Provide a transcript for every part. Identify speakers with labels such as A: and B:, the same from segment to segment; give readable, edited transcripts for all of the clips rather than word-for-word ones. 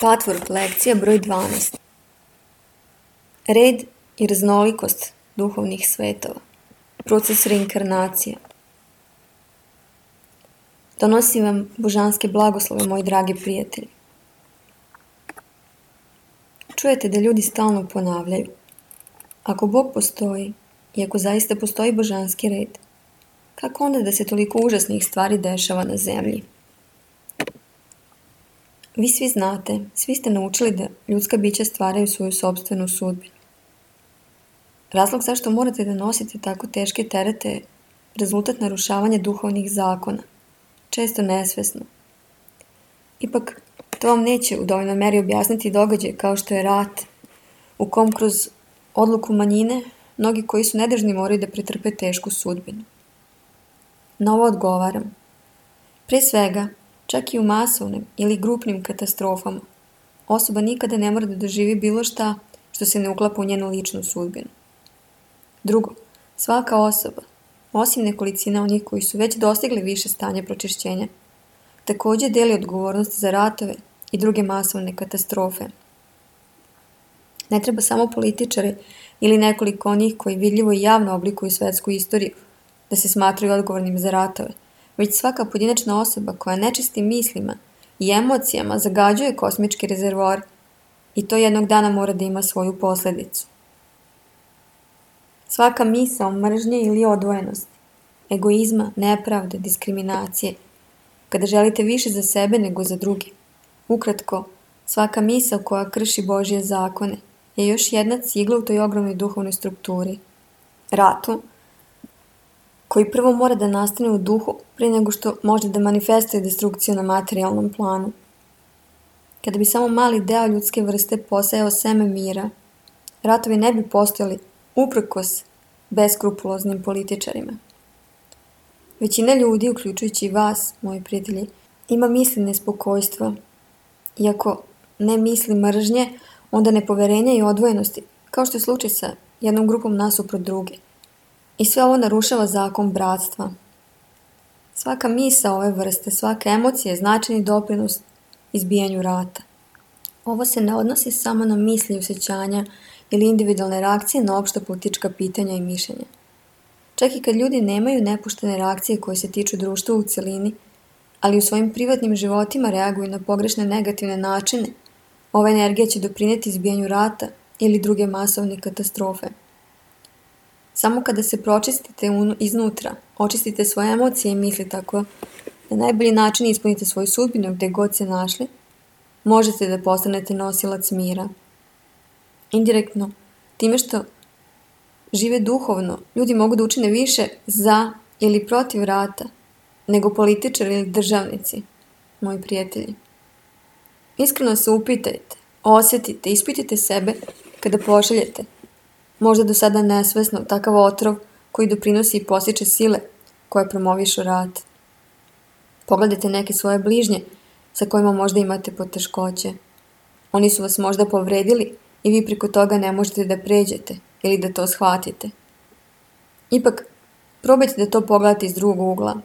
A: Patvork, lekcija broj 12. Red i raznolikost duhovnih svetova. Proces reinkarnacije. Donosim vam božanske blagoslove, moji dragi prijatelji. Čujete da ljudi stalno ponavljaju: ako Bog postoji i ako zaista postoji božanski red, kako onda da se toliko užasnih stvari dešava na zemlji? Vi svi znate, svi ste naučili da ljudska bića stvaraju svoju sopstvenu sudbinu. Razlog zašto morate da nosite tako teške terete je rezultat narušavanja duhovnih zakona, često nesvesno. Ipak, to vam neće u dovoljnoj meri objasniti događaj kao što je rat, u kom kroz odluku manjine mnogi koji su nedužni moraju da pretrpe tešku sudbinu. Na ovo odgovaram. Pre svega, čak i u masovnim ili grupnim katastrofama, osoba nikada ne mora da doživi bilo šta što se ne uklapa u njenu ličnu sudbinu. Drugo, svaka osoba, osim nekolicina onih koji su već dostigli više stanja pročišćenja, također deli odgovornost za ratove i druge masovne katastrofe. Ne treba samo političari ili nekoliko onih koji vidljivo i javno oblikuju svetsku istoriju da se smatraju odgovornim za ratove, već svaka pojedinačna osoba koja nečistim mislima i emocijama zagađuje kosmički rezervoar i to jednog dana mora da ima svoju posljedicu. Svaka misao mržnje ili odvojenosti, egoizma, nepravde, diskriminacije, kada želite više za sebe nego za druge. Ukratko, svaka misao koja krši Božje zakone je još jedna cigla u toj ogromnoj duhovnoj strukturi. Ratu, koji prvo mora da nastane u duhu prije nego što može da manifestuje destrukciju na materijalnom planu. Kada bi samo mali deo ljudske vrste posejao seme mira, ratovi ne bi postojali uprkos beskrupuloznim političarima. Većina ljudi, uključujući i vas, moji prijatelji, ima misli nespokojstva. Iako ne misli mržnje, onda nepoverenja i odvojenosti, kao što je slučaj sa jednom grupom nasuprot druge. I sve ovo narušava zakon bratstva. Svaka misao ove vrste, svaka emocija je značajni doprinos izbijanju rata. Ovo se ne odnosi samo na misli i osjećanja ili individualne reakcije na opšta politička pitanja i mišljenja. Čak i kad ljudi nemaju nepuštene reakcije koje se tiču društva u cjelini, ali u svojim privatnim životima reaguju na pogrešne negativne načine, ova energija će doprinijeti izbijanju rata ili druge masovne katastrofe. Samo kada se pročistite iznutra, očistite svoje emocije i misli tako na najbolji način ispunite svoju sudbinu gdje god se našli, možete da postanete nosilac mira. Indirektno, time što žive duhovno, ljudi mogu da učine više za ili protiv rata, nego političari ili državnici, moji prijatelji. Iskreno se upitajte, osjetite, ispitajte sebe kada pošaljete, možda do sada nesvesno, takav otrov koji doprinosi i posjeće sile koje promovišu rat. Pogledajte neke svoje bližnje sa kojima možda imate poteškoće. Oni su vas možda povredili i vi preko toga ne možete da pređete ili da to shvatite. Ipak, probajte da to pogledate iz drugog ugla.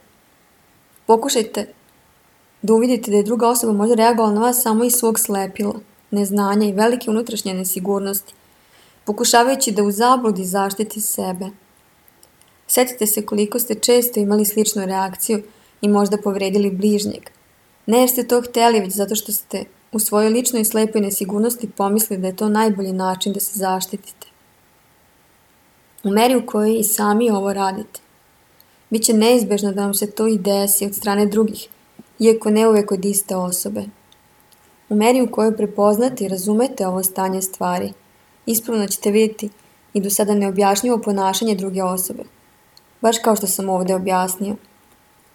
A: Pokušajte da uvidite da je druga osoba možda reagovala na vas samo iz svog slepila, neznanja i velike unutrašnje nesigurnosti, pokušavajući da u zabludi zaštiti sebe. Sjetite se koliko ste često imali sličnu reakciju i možda povredili bližnjeg. Ne jer ste to htjeli, već zato što ste u svojoj ličnoj slepoj nesigurnosti pomislili da je to najbolji način da se zaštitite. U meri u kojoj i sami ovo radite, bit će neizbežno da vam se to i desi od strane drugih, iako ne uvijek od iste osobe. U meri u kojoj prepoznate i razumete ovo stanje stvari, ispravno ćete vidjeti i do sada neobjašnjivo ponašanje druge osobe, baš kao što sam ovdje objasnio.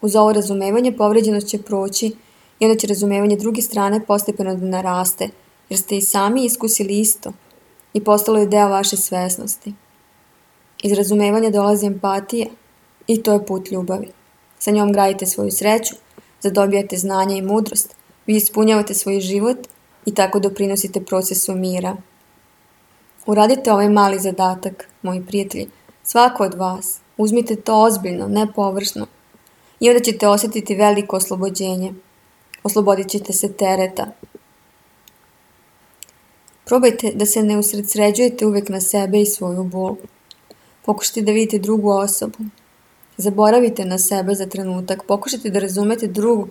A: Uz ovo razumevanje povređenost će proći i onda će razumevanje druge strane postepeno da naraste, jer ste i sami iskusili isto i postalo je deo vaše svesnosti. Iz razumevanja dolazi empatija i to je put ljubavi. Sa njom gradite svoju sreću, zadobijate znanja i mudrost, vi ispunjavate svoj život i tako doprinosite procesu mira. Uradite ovaj mali zadatak, moji prijatelji, svako od vas. Uzmite to ozbiljno, ne površno. I onda ćete osjetiti veliko oslobođenje. Oslobodit ćete se tereta. Probajte da se ne usredsređujete uvek na sebe i svoju bol. Pokušajte da vidite drugu osobu. Zaboravite na sebe za trenutak. Pokušajte da razumete drugog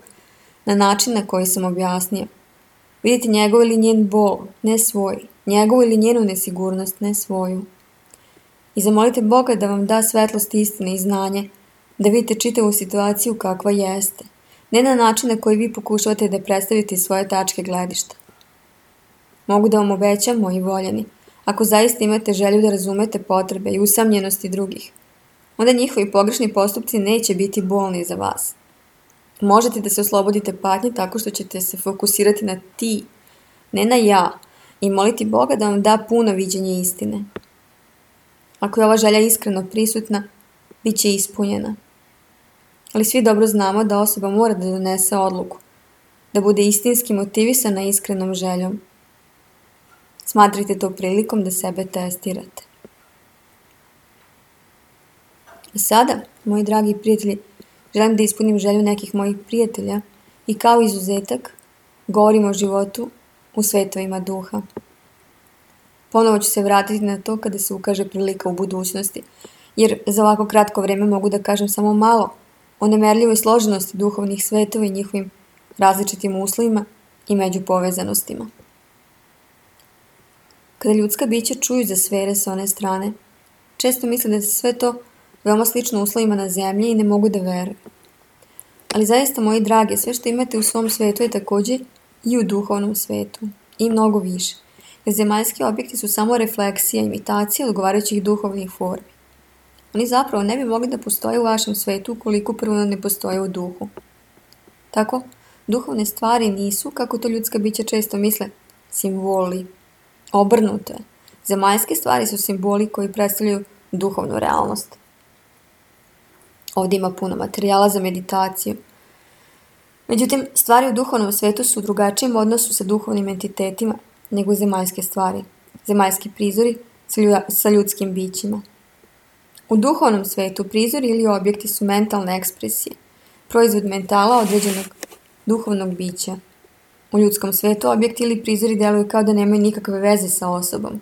A: na način na koji sam objasnio. Vidite njegov ili njen bol, ne svoj. Njegovu ili njenu nesigurnost, ne svoju. I zamolite Boga da vam da svetlost istine i znanje, da vidite čitavu situaciju kakva jeste. Ne na način na koji vi pokušavate da predstavite svoje tačke gledišta. Mogu da vam obećam, moji voljeni, ako zaista imate želju da razumete potrebe i usamljenosti drugih, onda njihovi pogrešni postupci neće biti bolni za vas. Možete da se oslobodite patnje tako što ćete se fokusirati na ti, ne na ja, i moliti Boga da vam da puno viđenje istine. Ako je ova želja iskreno prisutna, bit će ispunjena. Ali svi dobro znamo da osoba mora da donese odluku, da bude istinski motivisana iskrenom željom. Smatrajte to prilikom da sebe testirate. A sada, moji dragi prijatelji, želim da ispunim želju nekih mojih prijatelja i kao izuzetak govorim o životu u svetovima duha. Ponovo ću se vratiti na to kada se ukaže prilika u budućnosti, jer za ovako kratko vreme mogu da kažem samo malo o nemerljivoj složenosti duhovnih svetova i njihovim različitim uslovima i međupovezanostima. Kada ljudska bića čuju za sfere sa one strane, često misle da se sve to veoma slično uslovima na zemlji i ne mogu da veruju. Ali zaista, moji drage, sve što imate u svom svetu je takođe i u duhovnom svetu, i mnogo više, jer zemaljski objekti su samo refleksija, imitacija odgovarajućih duhovnih formi. Oni zapravo ne bi mogli da postoje u vašem svetu ukoliko prvo ne postoje u duhu. Tako, duhovne stvari nisu, kako to ljudska bića često misle, simboli. Obrnuto je. Zemaljske stvari su simboli koji predstavljaju duhovnu realnost. Ovdje ima puno materijala za meditaciju. Međutim, stvari u duhovnom svetu su u drugačijem odnosu sa duhovnim entitetima nego zemaljske stvari, zemaljski prizori sa ljudskim bićima. U duhovnom svetu prizori ili objekti su mentalne ekspresije, proizvod mentala određenog duhovnog bića. U ljudskom svetu objekti ili prizori deluju kao da nemaju nikakve veze sa osobom.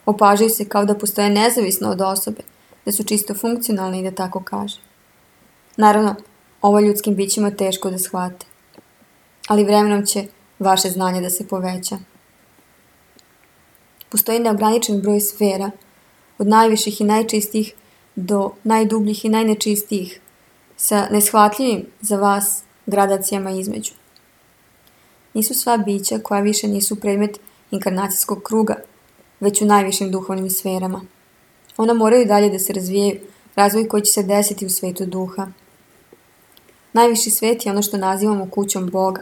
A: Opažaju se kao da postoje nezavisno od osobe, da su čisto funkcionalni i da tako kaže. Naravno, ovo ljudskim bićima teško da shvate, ali vremenom će vaše znanje da se poveća. Postoji neograničen broj sfera, od najviših i najčistijih do najdubljih i najnečistijih, sa neshvatljivim za vas gradacijama između. Nisu sva bića koja više nisu predmet inkarnacijskog kruga, već u najvišim duhovnim sferama. Ona moraju dalje da se razvijaju, razvoj koji će se desiti u svetu duha. Najviši svet je ono što nazivamo kućom Boga,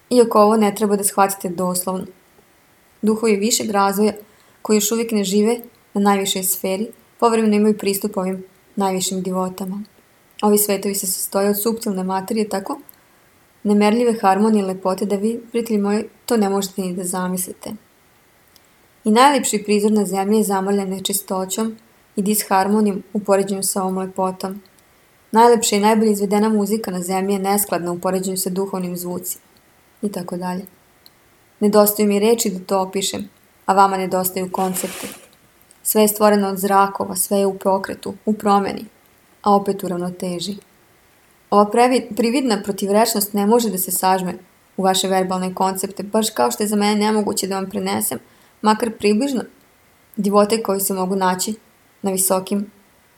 A: iako ovo ne treba da shvatite doslovno. Duhovi višeg razvoja, koji još uvijek ne žive na najvišoj sferi, povremeno imaju pristup ovim najvišim divotama. Ovi svetovi se sastoje od suptilne materije, tako nemerljive harmonije i lepote da vi, prijatelji moji, to ne možete ni da zamislite. I najlepši prizor na zemlji je zamrljen nečistoćom i disharmonijom u poređenju sa ovom lepotom. Najlepša i najbolje izvedena muzika na zemlji je neskladna u poređenju sa duhovnim zvucima. I tako dalje. Nedostaju mi reči da to opišem, a vama nedostaju koncepte. Sve je stvoreno od zrakova, sve je u pokretu, u promeni, a opet u ravnoteži. Ova prividna protivrečnost ne može da se sažme u vaše verbalne koncepte, baš kao što je za mene nemoguće da vam prenesem, makar približno, divote koji se mogu naći na visokim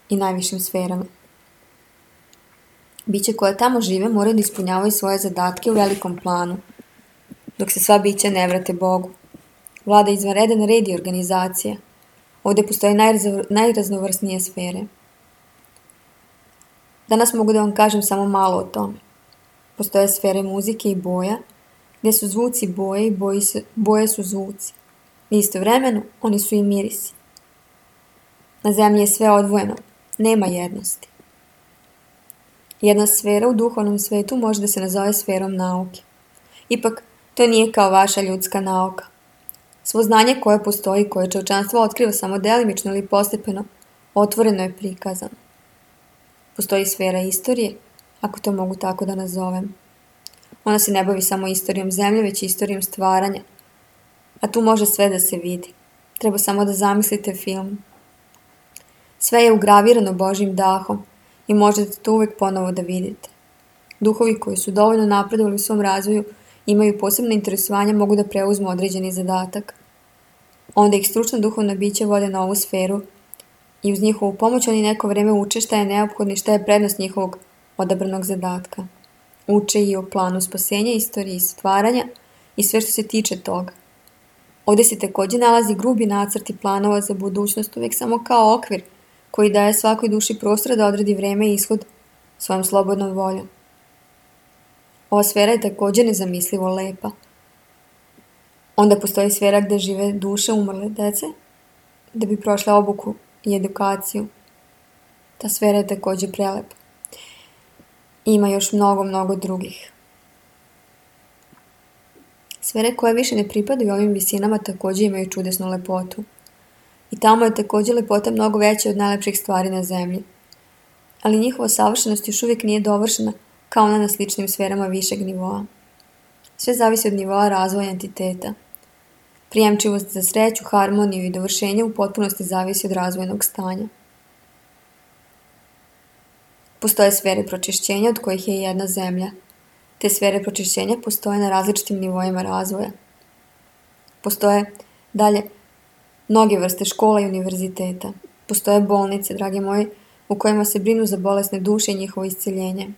A: i najvišim sferama. Biće koja tamo žive moraju da ispunjavaju svoje zadatke u velikom planu, dok se sva bića ne vrate Bogu. Vlada izvanredan red i organizacija. Ovdje postoje najraznovrsnije sfere. Danas mogu da vam kažem samo malo o tome. Postoje sfere muzike i boja, gdje su zvuci boje i boje su zvuci. Istovremeno, oni su i mirisi. Na zemlji je sve odvojeno, nema jednosti. Jedna sfera u duhovnom svetu može da se nazove sferom nauke. Ipak, to nije kao vaša ljudska nauka. Svo znanje koje postoji, koje čovječanstvo otkriva samo delimično ili postepeno, otvoreno je prikazano. Postoji sfera istorije, ako to mogu tako da nazovem. Ona se ne bavi samo istorijom zemlje, već istorijom stvaranja. A tu može sve da se vidi. Treba samo da zamislite film. Sve je ugravirano Božjim dahom i možete to uvek ponovo da vidite. Duhovi koji su dovoljno napredovali u svom razvoju imaju posebne interesovanja, mogu da preuzmu određeni zadatak. Onda ih stručna duhovna bića vode na ovu sferu i uz njihovu pomoć oni neko vreme uče šta je neophodno i šta je prednost njihovog odabranog zadatka. Uče i o planu spasenja, istoriji stvaranja i sve što se tiče toga. Ovdje se također nalazi grubi nacrt i planova za budućnost, uvijek samo kao okvir koji daje svakoj duši prostora da odredi vreme i ishod svojom slobodnom voljom. Ova sfera je također nezamislivo lepa. Onda postoji sfera gdje žive duše umrle dece, da bi prošle obuku i edukaciju. Ta sfera je također prelepa. Ima još mnogo drugih. Sfere koje više ne pripadaju ovim visinama također imaju čudesnu lepotu. I tamo je također lepota mnogo veća od najlepših stvari na zemlji. Ali njihova savršenost još uvijek nije dovršena kao ona na sličnim sferama višeg nivoa. Sve zavisi od nivoa razvoja entiteta. Prijemčivost za sreću, harmoniju i dovršenje u potpunosti zavisi od razvojnog stanja. Postoje sfere pročišćenja od kojih je jedna zemlja. Te sfere pročišćenja postoje na različitim nivoima razvoja. Postoje dalje mnoge vrste škola i univerziteta. Postoje bolnice, dragi moji, u kojima se brinu za bolesne duše i njihovo isceljenje.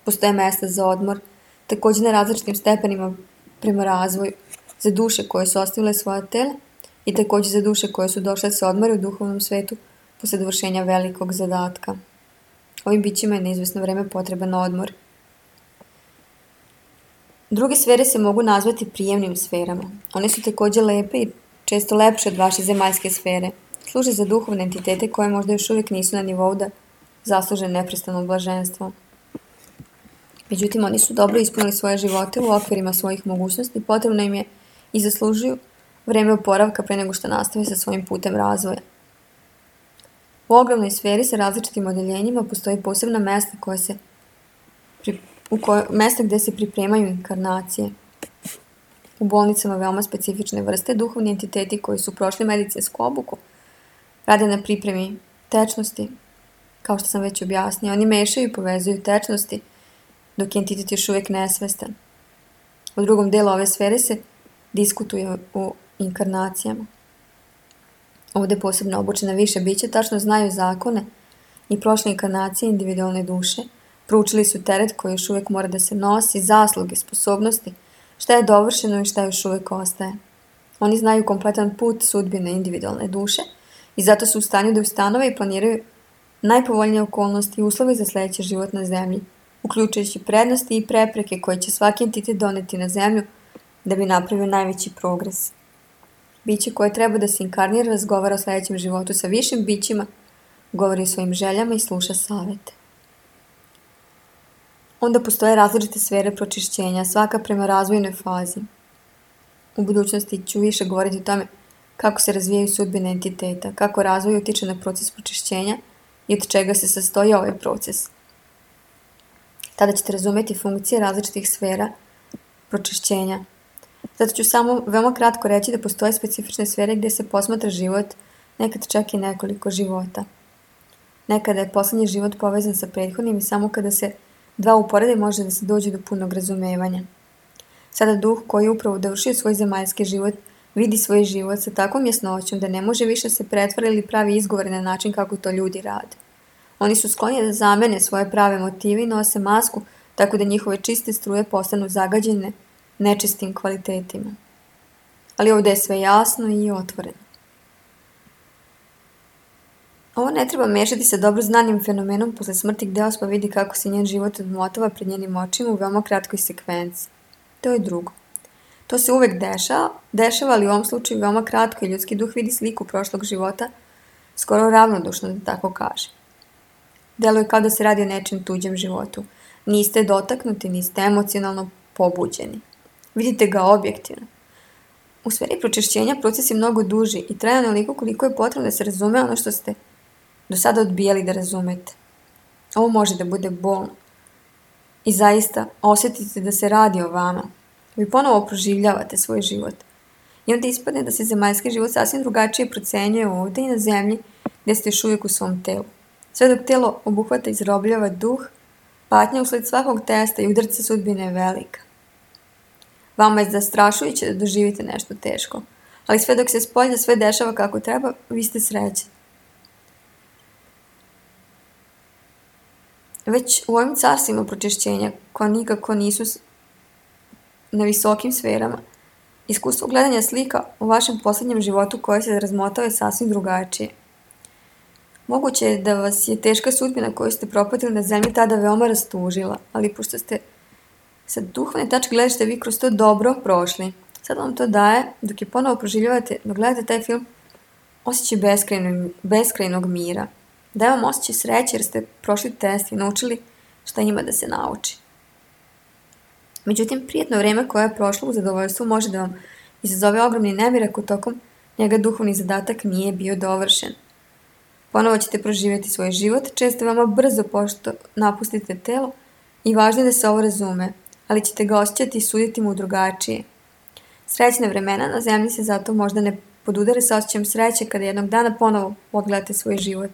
A: Postoje mjesta za odmor, također na različitim stepenima prema razvoju, za duše koje su ostavile svoja tela i također za duše koje su došle se odmore u duhovnom svetu posle dovršenja velikog zadatka. Ovim bićima je na izvesno vreme potreban odmor. Druge sfere se mogu nazvati prijemnim sferama. One su također lepe i često lepše od vaše zemaljske sfere. Služe za duhovne entitete koje možda još uvijek nisu na nivou da zasluže neprestano blaženstvo. Međutim, oni su dobro ispunili svoje živote u okvirima svojih mogućnosti, potrebno im je i zaslužuju vreme oporavka pre nego što nastave sa svojim putem razvoja. U ogromnoj sferi sa različitim odeljenjima postoji posebna mesta mesta gdje se pripremaju inkarnacije. U bolnicama veoma specifične vrste duhovni entiteti koji su prošli medicinsku obuku rade na pripremi tečnosti. Kao što sam već objasnila, oni mešaju i povezuju tečnosti dok je entitet još uvijek nesvestan. U drugom delu ove sfere se diskutuje o inkarnacijama. Ovdje posebno obučena više bića tačno znaju zakone i prošle inkarnacije individualne duše. Proučili su teret koji još uvijek mora da se nosi, zasluge, sposobnosti, šta je dovršeno i šta još uvijek ostaje. Oni znaju kompletan put sudbine individualne duše i zato su u stanju da ustanove i planiraju najpovoljnije okolnosti i uslove za sljedeći život na zemlji, uključujući prednosti i prepreke koje će svaki entitet doneti na zemlju da bi napravio najveći progres. Biće koje treba da se inkarnira razgovara o sljedećem životu sa višim bićima, govori o svojim željama i sluša savete. Onda postoje različite sfere pročišćenja, svaka prema razvojnoj fazi. U budućnosti ću više govoriti o tome kako se razvijaju sudbine entiteta, kako razvoj utiče na proces pročišćenja i od čega se sastoji ovaj proces. Tada ćete razumjeti funkcije različitih sfera pročišćenja. Zato ću samo veoma kratko reći da postoje specifične sfere gdje se posmatra život, nekad čak i nekoliko života. Nekada je posljednji život povezan sa prethodnim i samo kada se dva uporede može da se dođe do punog razumevanja. Sada duh koji je upravo dovršio svoj zemaljski život vidi svoj život sa takvom jasnoćom da ne može više se pretvara ili pravi izgovore na način kako to ljudi rade. Oni su skloni da zamene svoje prave motive i nose masku tako da njihove čiste struje postanu zagađene nečistim kvalitetima. Ali ovdje je sve jasno i otvoreno. Ovo ne treba mešati sa dobro znanim fenomenom posle smrti gdje osoba vidi kako se njen život odmotava pred njenim očima u veoma kratkoj sekvenci. To je drugo. To se uvek dešava, ali u ovom slučaju veoma kratko i ljudski duh vidi sliku prošlog života, skoro ravnodušno da tako kaže. Deluje kao da se radi o nečem tuđem životu. Niste dotaknuti, niste emocionalno pobuđeni. Vidite ga objektivno. U sferi pročišćenja proces je mnogo duži i traje onoliko koliko je potrebno da se razume ono što ste do sada odbijali da razumete. Ovo može da bude bolno. I zaista osjetite da se radi o vama. Vi ponovo proživljavate svoj život. I onda ispadne da se zemaljski život sasvim drugačije procenjuje ovdje i na zemlji gdje ste još uvijek u svom telu. Sve dok telo obuhvata i izrobljava duh, patnja usled svakog testa i udarca sudbine je velika. Vama je zastrašujuće da doživite nešto teško, ali sve dok se spolja sve dešava kako treba, vi ste srećni. Već u ovim carstvima pročišćenja, koja nikako nisu na visokim sferama, iskustvo gledanja slika u vašem posljednjem životu koje se razmotao je sasvim drugačije. Moguće je da vas je teška sudbina koju ste propatili na zemlji tada veoma rastužila, ali pošto ste sa duhovne tačke gledišta vi kroz to dobro prošli, sad vam to daje, dok je ponovo proživljavate, dok gledate taj film, osjećaj beskrajnog mira. Daje vam osjećaj sreće jer ste prošli test i naučili šta ima da se nauči. Međutim, prijetno vrijeme koje je prošlo u zadovoljstvu može da vam izazove ogromni nemir ako tokom njega duhovni zadatak nije bio dovršen. Ponovo ćete proživjeti svoj život, često veoma brzo pošto napustite telo i važno je da se ovo razume, ali ćete ga osjećati i suditi mu drugačije. Srećne vremena na zemlji se zato možda ne podudare sa osjećajem sreće kada jednog dana ponovo odgledate svoj život.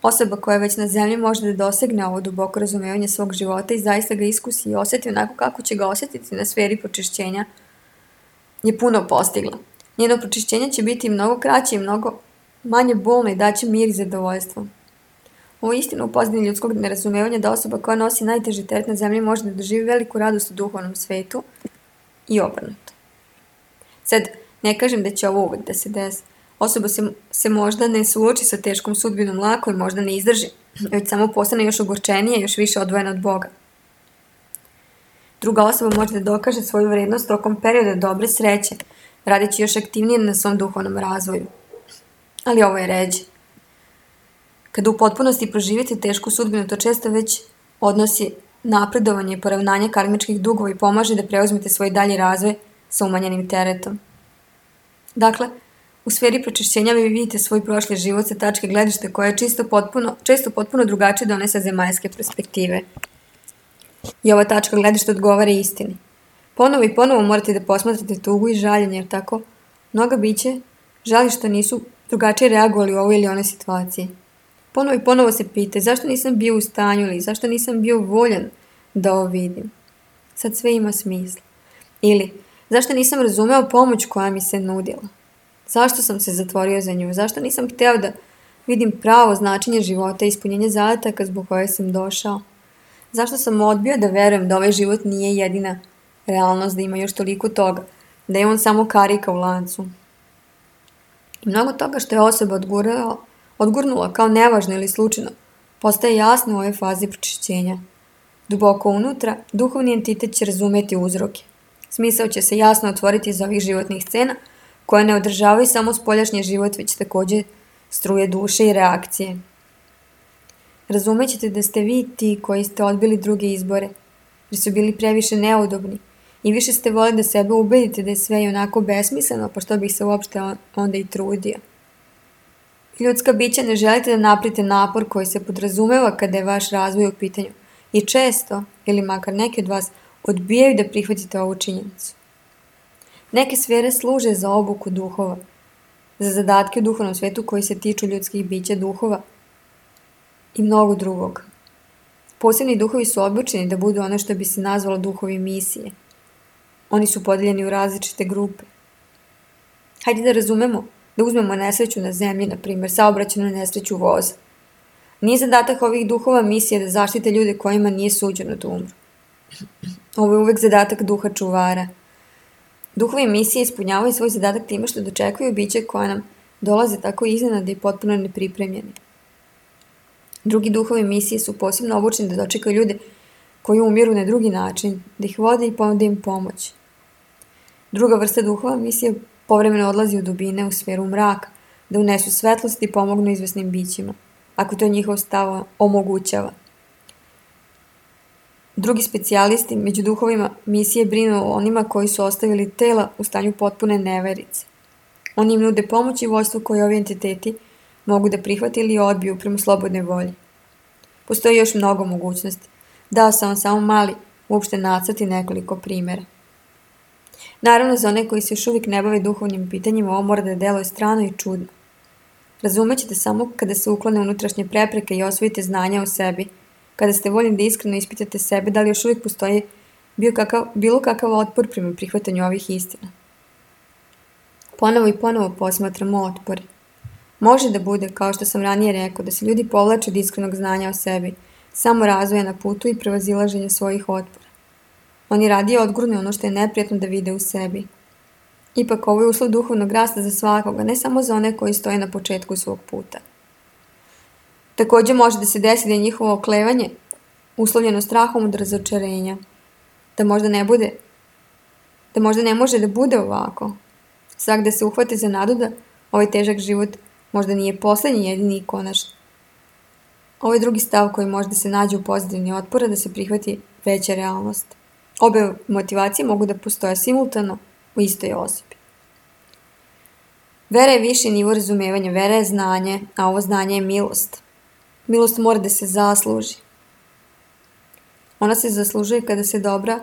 A: Osoba koja je već na zemlji može da dosegne ovo duboko razumevanje svog života i zaista ga iskusi i osjeti onako kako će ga osjetiti na sferi pročišćenja, je puno postigla. Njeno pročišćenje će biti mnogo kraće i mnogo manje bolno i daće mir i zadovoljstvo. Ovo je istina u pozadini ljudskog nerazumevanja da osoba koja nosi najteži teret na zemlji može da doživi veliku radost u duhovnom svetu i obrnuto. Sad, ne kažem da će ovo uvek da se desi. Osoba se možda ne suoči sa teškom sudbinom lako i možda ne izdrži, već samo postane još ogorčenija i još više odvojena od Boga. Druga osoba može da dokaže svoju vrednost tokom perioda dobre sreće, radeći još aktivnije na svom duhovnom razvoju. Ali ovo je ređe. Kada u potpunosti proživite tešku sudbinu, to često već odnosi napredovanje i poravnanje karmičkih dugova i pomaže da preuzmete svoj dalji razvoj sa umanjenim teretom. Dakle, u sferi pročišćenja vi vidite svoj prošli život sa tačke gledišta koja je često potpuno drugačije od one sa zemaljske perspektive. I ova tačka gledišta odgovara istini. Ponovo i ponovo morate da posmatrate tugu i žaljenje, jer tako mnoga biće žali što nisu drugačije reagovali u ovoj ili onoj situaciji. Ponovo i ponovo se pita zašto nisam bio u stanju ili zašto nisam bio voljan da ovo vidim. Sad sve ima smisla. Ili zašto nisam razumeo pomoć koja mi se nudila. Zašto sam se zatvorio za nju? Zašto nisam hteo da vidim pravo značenje života i ispunjenje zadataka zbog koje sam došao? Zašto sam odbio da verujem da ovaj život nije jedina realnost, da ima još toliko toga, da je on samo karika u lancu? I mnogo toga što je osoba odgurnula kao nevažno ili slučajno, postaje jasno u ovoj fazi pročišćenja. Duboko unutra, duhovni entitet će razumeti uzroke. Smisao će se jasno otvoriti iz ovih životnih scena, koje ne održavaju samo spoljašnji život, već također struje duše i reakcije. Razumećete da ste vi ti koji ste odbili druge izbore, jer su bili previše neudobni i više ste volili da sebe ubedite da je sve i onako besmisleno, pa što bih se uopšte onda i trudio. Ljudska bića ne želite da napravite napor koji se podrazumeva kada je vaš razvoj u pitanju i često, ili makar neki od vas, odbijaju da prihvatite ovu činjenicu. Neke sfere služe za obuku duhova, za zadatke u duhovnom svetu koji se tiču ljudskih bića duhova i mnogo drugog. Posebni duhovi su obučeni da budu ono što bi se nazvalo duhovi misije. Oni su podeljeni u različite grupe. Hajde da razumemo, da uzmemo nesreću na zemlji, na primjer, saobraćajnu nesreću voza. Nije zadatak ovih duhova misije da zaštite ljude kojima nije suđeno da umru. Ovo je uvek zadatak duha čuvara. Duhovi misije ispunjavaju svoj zadatak time što dočekuju biće koje nam dolaze tako iznenada i potpuno nepripremljeni. Drugi duhovi misije su posebno obučeni da dočekaju ljude koji umiru na drugi način, da ih vode i ponude im pomoć. Druga vrsta duhova misije povremeno odlazi u dubine, u sferu mraka, da unesu svetlost i pomognu izvesnim bićima, ako to njihov stav omogućava. Drugi specijalisti među duhovima misije brinu o onima koji su ostavili tela u stanju potpune neverice. Oni im nude pomoć i vođstvo koje ovi entiteti mogu da prihvate ili odbiju prema slobodnoj volji. Postoji još mnogo mogućnosti. Dao sam vam samo mali, uopšte nacrt i nekoliko primjera. Naravno, za one koji se još uvijek ne bave duhovnim pitanjima, ovo mora da deluje strano i čudno. Razumećete samo kada se uklone unutrašnje prepreke i osvojite znanja o sebi, kada ste voljni da iskreno ispitate sebe da li još uvijek postoji bilo kakav otpor prema prihvatanju ovih istina. Ponovo i ponovo posmatramo otpore. Može da bude, kao što sam ranije rekao, da se ljudi povlače od iskrenog znanja o sebi, samo razvoja na putu i prevazilaženja svojih otpora. Oni radije odgurne ono što je neprijatno da vide u sebi. Ipak ovo je uslov duhovnog rasta za svakoga, ne samo za one koji stoje na početku svog puta. Također može da se desi da je njihovo oklevanje uslovljeno strahom od razočarenja, da možda ne može da bude ovako. Svak da se uhvate za nadu da ovaj težak život možda nije poslednji, jedini i konačni. Ovo je drugi stav koji može da se nađe u pozadini otpora da se prihvati veća realnost. Obe motivacije mogu da postoje simultano u istoj osobi. Vera je viši nivo razumevanja, vera je znanje, a ovo znanje je milost. Milost mora da se zasluži. Ona se zaslužuje kada se dobra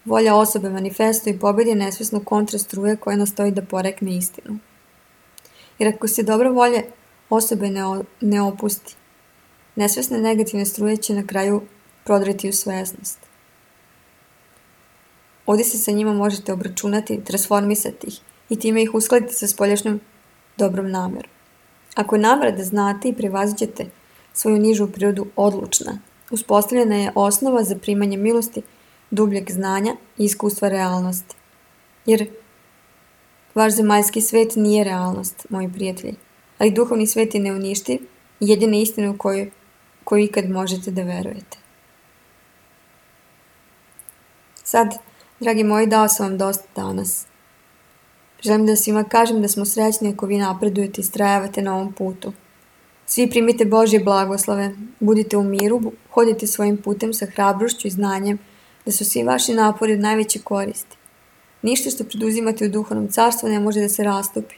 A: volja osobe manifestuje i pobedi nesvesnu kontrastruje koja nastoji da porekne istinu. Jer ako se dobra volja osobe ne opusti, nesvesne negativne struje će na kraju prodreti u svesnost. Ovdje se sa njima možete obračunati, transformisati ih i time ih uskladiti sa spoljašnjom dobrom namerom. Ako je namera da znate i prevaziđete svoju nižu prirodu odlučna, uspostavljena je osnova za primanje milosti, dubljeg znanja i iskustva realnosti. Jer vaš zemaljski svet nije realnost, moji prijatelji, ali duhovni svet je neuništiv i jedina istina u koju ikad možete da verujete. Sad, dragi moji, dao sam vam dosta danas. Želim da svima kažem da smo srećni ako vi napredujete i istrajavate na ovom putu. Svi primite Božje blagoslove, budite u miru, hodite svojim putem sa hrabrošću i znanjem da su svi vaši napori od najveće koristi. Ništa što preduzimate u duhovnom carstvu ne može da se rastopi,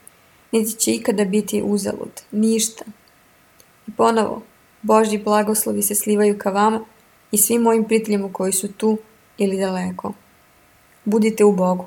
A: niti će ikada biti uzalud. Ništa. I ponovo, Božji blagoslovi se slivaju ka vama i svim mojim prijateljima koji su tu ili daleko. Budite u Bogu.